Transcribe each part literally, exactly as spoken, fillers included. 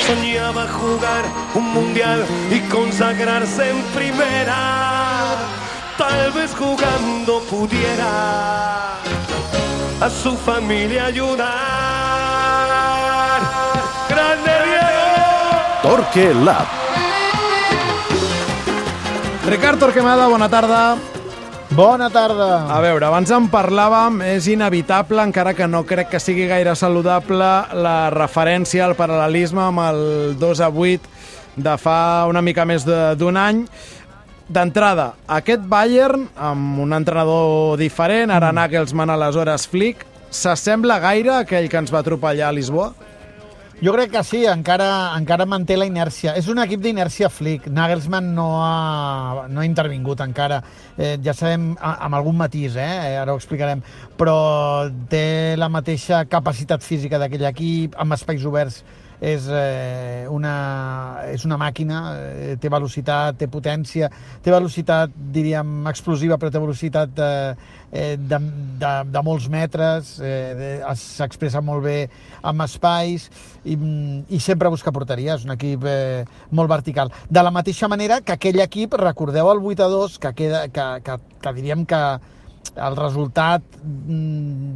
soñaba jugar un mundial y consagrarse en primera. Tal vez jugando pudiera a su familia ayudar. ¡Grande Diego! Torque Lab. Ricard Torquemada, bona tarda. Bona tarda. A veure, abans en parlàvem, és inevitable, encara que no crec que sigui gaire saludable, la referència al paral·lelisme amb el dos a vuit de fa una mica més d'un any. D'entrada, aquest Bayern, amb un entrenador diferent, ara Nagelsmann, aleshores Flick, s'assembla gaire a aquell que ens va atropellar a Lisboa? Jo crec que sí, encara, encara manté la inèrcia. És un equip d'inèrcia Flick. Nagelsmann no ha, no ha intervingut encara. Eh, ja sabem, amb algun matís, eh? ara ho explicarem, però té la mateixa capacitat física d'aquell equip, amb espais oberts. És, eh, una, és una màquina, eh, té velocitat, té potència, té velocitat, diríem, explosiva, però té velocitat eh, de, de, de molts metres, eh, s'expressa molt bé amb espais i, i sempre busca porteria, és un equip eh, molt vertical. De la mateixa manera que aquell equip, recordeu el vuit a dos, que, queda, que, que, que diríem que el resultat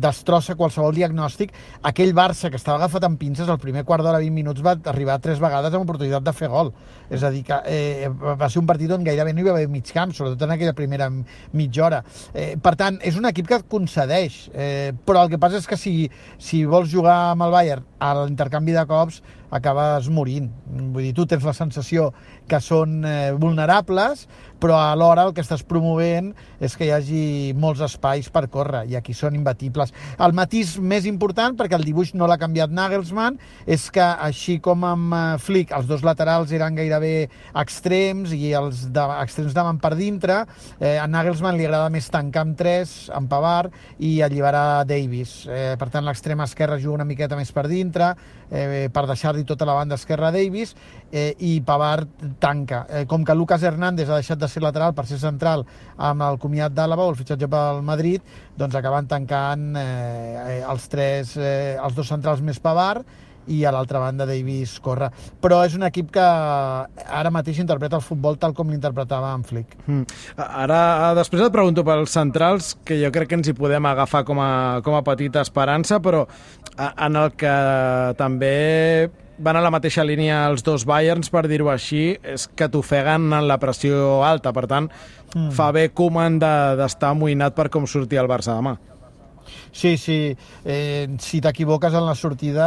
destrossa qualsevol diagnòstic. Aquell Barça que estava agafat amb pinces al primer quart d'hora, vint minuts, va arribar tres vegades amb oportunitat de fer gol. És a dir, que eh, va ser un partit on gairebé no hi va haver mig camp, sobretot en aquella primera mitja hora. Eh, per tant, és un equip que et concedeix, eh, però el que passa és que si, si vols jugar amb el Bayern a l'intercanvi de cops, acabes morint. Vull dir, tu tens la sensació que són eh, vulnerables, però alhora el que estàs promovent és que hi hagi molts espais per córrer, i aquí són imbatibles. El matís més important, perquè el dibuix no l'ha canviat Nagelsmann, és que així com amb Flick els dos laterals eren gairebé extrems i els de, extrems anaven per dintre, eh, a Nagelsmann li agrada més tancar amb tres, amb Pavard, i alliberar Davis. Eh, per tant, l'extrem esquerre juga una miqueta més per dintre, eh, per deixar-li tota la banda esquerra a Davis, eh, i Pavard tanca. Eh, com que Lucas Hernández ha deixat de ser lateral per ser central amb el comiat d'Àlaba o el fitxatge pel Madrid, doncs acaben tancant eh, els tres, eh, els dos centrals més Pavard, i a l'altra banda Davis corre. Però és un equip que ara mateix interpreta el futbol tal com l'interpretava en Flick. Mm. Ara, després et pregunto pels centrals, que jo crec que ens hi podem agafar com a, com a petita esperança, però en el que també van a la mateixa línia els dos Bayerns, per dir-ho així, és que t'ofeguen en la pressió alta. Per tant, mm. fa bé Koeman d'estar amoïnat per com sortia el Barça demà. Sí, sí. Eh, si t'equivoques en la sortida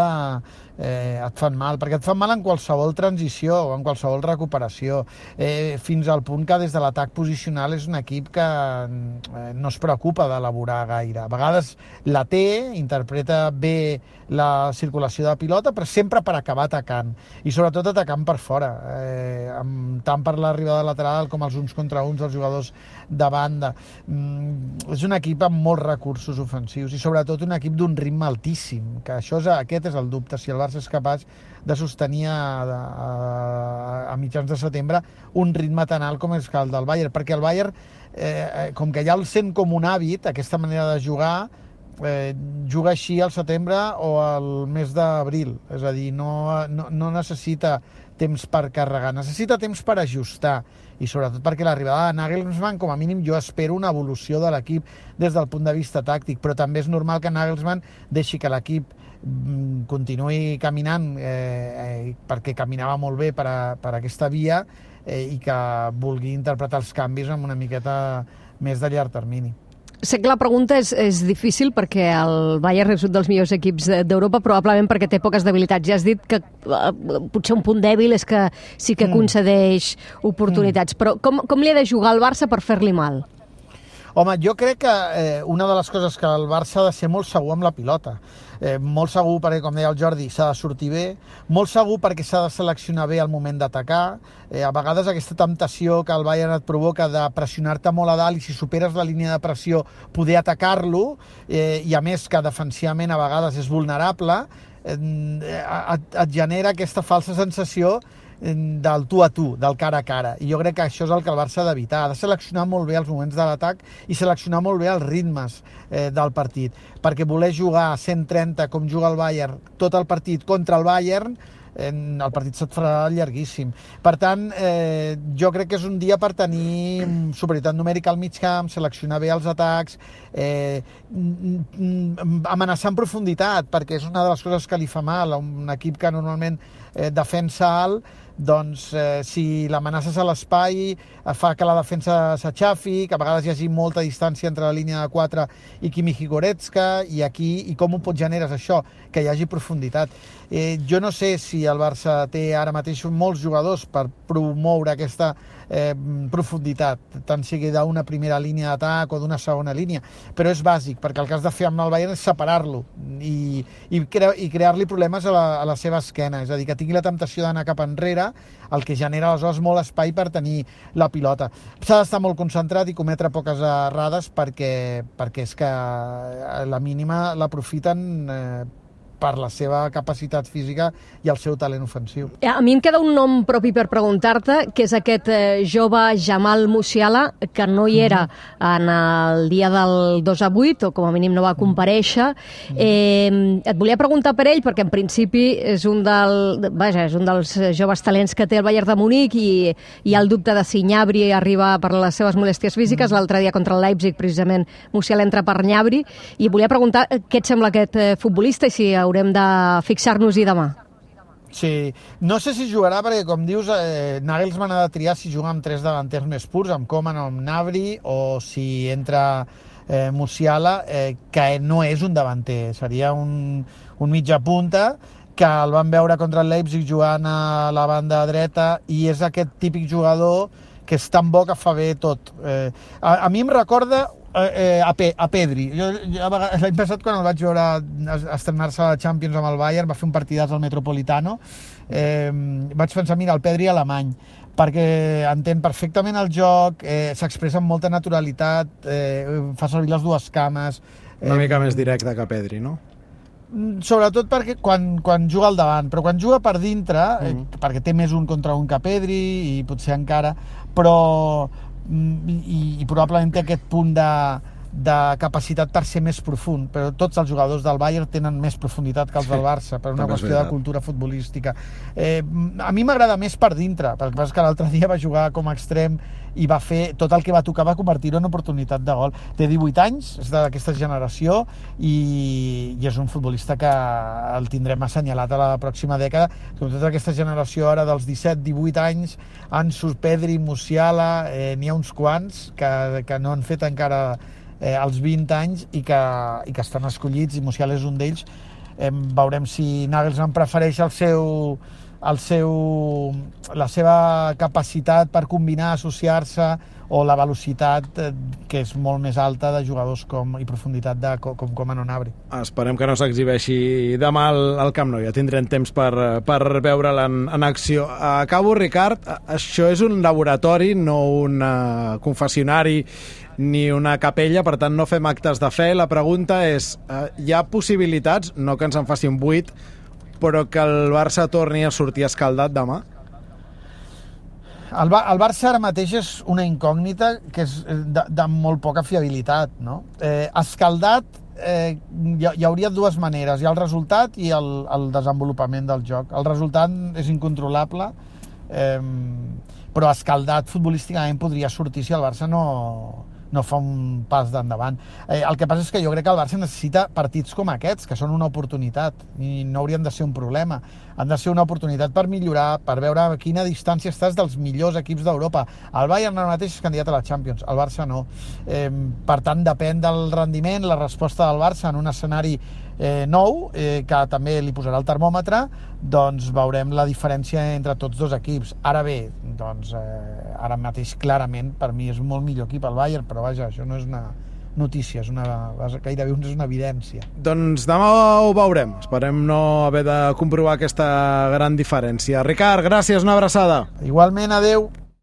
eh, et fan mal, perquè et fan mal en qualsevol transició o en qualsevol recuperació, eh, fins al punt que des de l'atac posicional és un equip que eh, no es preocupa d'elaborar gaire. A vegades la té, interpreta bé la circulació de pilota, però sempre per acabar atacant, i sobretot atacant per fora, eh, amb, tant per l'arribada lateral com els uns contra uns dels jugadors de banda. Mm, és un equip amb molts recursos ofensius i sobretot un equip d'un ritme altíssim, que això és, aquest és el dubte, si el Barça és capaç de sostenir a, a, a mitjans de setembre un ritme tan alt com és el del Bayern, perquè el Bayern, eh, com que ja el sent com un hàbit, aquesta manera de jugar, eh, juga així al setembre o al mes d'abril, és a dir, no, no, no necessita temps per carregar, necessita temps per ajustar, i sobretot perquè l'arribada de Nagelsmann, com a mínim, jo espero una evolució de l'equip des del punt de vista tàctic, però també és normal que Nagelsmann deixi que l'equip continuï caminant, eh, perquè caminava molt bé per, a, per aquesta via, eh, i que vulgui interpretar els canvis amb una miqueta més de llarg termini. Sé que la pregunta és, és difícil perquè el Bayern és un dels millors equips d'Europa, probablement perquè té poques debilitats. Ja has dit que uh, potser un punt dèbil és que sí que mm. concedeix oportunitats, mm. però com, com li ha de jugar el Barça per fer-li mal? Home, jo crec que eh, una de les coses que el Barça ha de ser molt segur amb la pilota. Eh, molt segur perquè, com deia el Jordi, s'ha de sortir bé, molt segur perquè s'ha de seleccionar bé el moment d'atacar. Eh, a vegades aquesta temptació que el Bayern et provoca de pressionar-te molt a dalt i si superes la línia de pressió poder atacar-lo, eh, i a més que defensivament a vegades és vulnerable, eh, et, et genera aquesta falsa sensació del tu a tu, del cara a cara, i jo crec que això és el que el Barça ha d'evitar. Ha de seleccionar molt bé els moments de l'atac i seleccionar molt bé els ritmes eh, del partit, perquè voler jugar a cent trenta com juga el Bayern tot el partit contra el Bayern el partit se't farà llarguíssim. Per tant, eh, jo crec que és un dia per tenir superioritat numèrica al mig camp, seleccionar bé els atacs, eh, amenaçar en profunditat, perquè és una de les coses que li fa mal a un equip que normalment eh, defensa alt, doncs eh, si l'amenaces a l'espai fa que la defensa s'aixafi, que a vegades hi hagi molta distància entre la línia de quatre i Kimmich i Goretzka, i aquí, i com ho pot generes això? Que hi hagi profunditat. Eh, jo no sé si el Barça té ara mateix molts jugadors per promoure aquesta eh, profunditat, tant sigui d'una primera línia d'atac o d'una segona línia, però és bàsic, perquè el que has de fer amb el Bayern és separar-lo i, i, cre i crear-li problemes a la, a la seva esquena, és a dir, que tingui la temptació d'anar cap enrere, el que genera aleshores molt espai per tenir la pilota. S'ha d'estar molt concentrat i cometre poques errades perquè, perquè és que la mínima l'aprofiten eh, per la seva capacitat física i el seu talent ofensiu. A mi em queda un nom propi per preguntar-te, que és aquest eh, jove Jamal Musiala, que no hi era mm-hmm. en el dia del dos a vuit, o com a mínim no va comparèixer. Mm-hmm. Eh, et volia preguntar per ell, perquè en principi és un, del, vaja, és un dels joves talents que té el Bayern de Munic i hi ha el dubte de si Gnabry arriba per les seves molèsties físiques. Mm-hmm. L'altre dia contra el Leipzig, precisament, Musiala entra per Gnabry, i volia preguntar què et sembla aquest eh, futbolista i si haurem de fixar-nos-hi demà. Sí, no sé si jugarà perquè, com dius, eh, Nagelsmann ha de triar si juga amb tres davanters més purs, amb Coman o amb Gnabry, o si entra eh, Musiala, eh, que no és un davanter, seria un, un mitja punta, que el van veure contra el Leipzig jugant a la banda dreta, i és aquest típic jugador que és tan bo que fa bé tot. Eh, a, a mi em recorda Eh, a, Pe a Pedri. Jo, jo l'any passat, quan el vaig veure estrenar-se a la Champions amb el Bayern, va fer un partidàs al Metropolitano, eh, vaig pensar, mira, el Pedri alemany, perquè entén perfectament el joc, eh, s'expressa amb molta naturalitat, eh, fa servir les dues cames. Eh, Una mica més directe que Pedri, no? Sobretot perquè quan, quan juga al davant, però quan juga per dintre, eh, mm. perquè té més un contra un que Pedri, i potser encara, però i, i probablement té aquest punt de, de capacitat per ser més profund, però tots els jugadors del Bayern tenen més profunditat que els del Barça, per una qüestió de cultura futbolística. Eh, a mi m'agrada més per dintre, perquè passa que l'altre dia va jugar com a extrem i va fer tot el que va tocar, va convertir-ho en oportunitat de gol. Té divuit anys, és d'aquesta generació, i, i és un futbolista que el tindrem assenyalat a la pròxima dècada. Tota aquesta generació ara dels disset divuit anys, Ansu, Pedri, Musiala, eh, n'hi ha uns quants que, que no han fet encara eh, els vint anys i que, i que estan escollits, i Musiala és un d'ells. Eh, veurem si Nagelsmann prefereix el seu el seu, la seva capacitat per combinar, associar-se, o la velocitat eh, que és molt més alta de jugadors com, i profunditat de, com, com Coman o Gnabry. Esperem que no s'exhibeixi demà al, al Camp Nou, ja tindrem temps per, per veure'l en, en acció. Acabo, Ricard, això és un laboratori, no un uh, confessionari ni una capella, per tant no fem actes de fe. La pregunta és, uh, hi ha possibilitats, no que ens en faci un buit, però que el Barça torni a sortir escaldat demà? El, Bar el Barça ara mateix és una incògnita que és de, de molt poca fiabilitat, no? Eh, escaldat eh, hi, hi hauria dues maneres, hi ha el resultat i el, el desenvolupament del joc. El resultat és incontrolable, eh, però escaldat futbolísticament podria sortir si el Barça no, no fa un pas d'endavant. Eh, el que passa és que jo crec que el Barça necessita partits com aquests, que són una oportunitat, i no haurien de ser un problema. Han de ser una oportunitat per millorar, per veure a quina distància estàs dels millors equips d'Europa. El Bayern ara mateix és candidat a la Champions, el Barça no. Eh, per tant, depèn del rendiment, la resposta del Barça en un escenari eh, nou, eh, que també li posarà el termòmetre, doncs veurem la diferència entre tots dos equips. Ara bé, doncs, eh, ara mateix clarament per mi és molt millor equip el Bayern, però vaja, això no és una notícia, és una, gairebé és una evidència. Doncs demà ho veurem, esperem no haver de comprovar aquesta gran diferència. Ricard, gràcies, una abraçada. Igualment, adeu.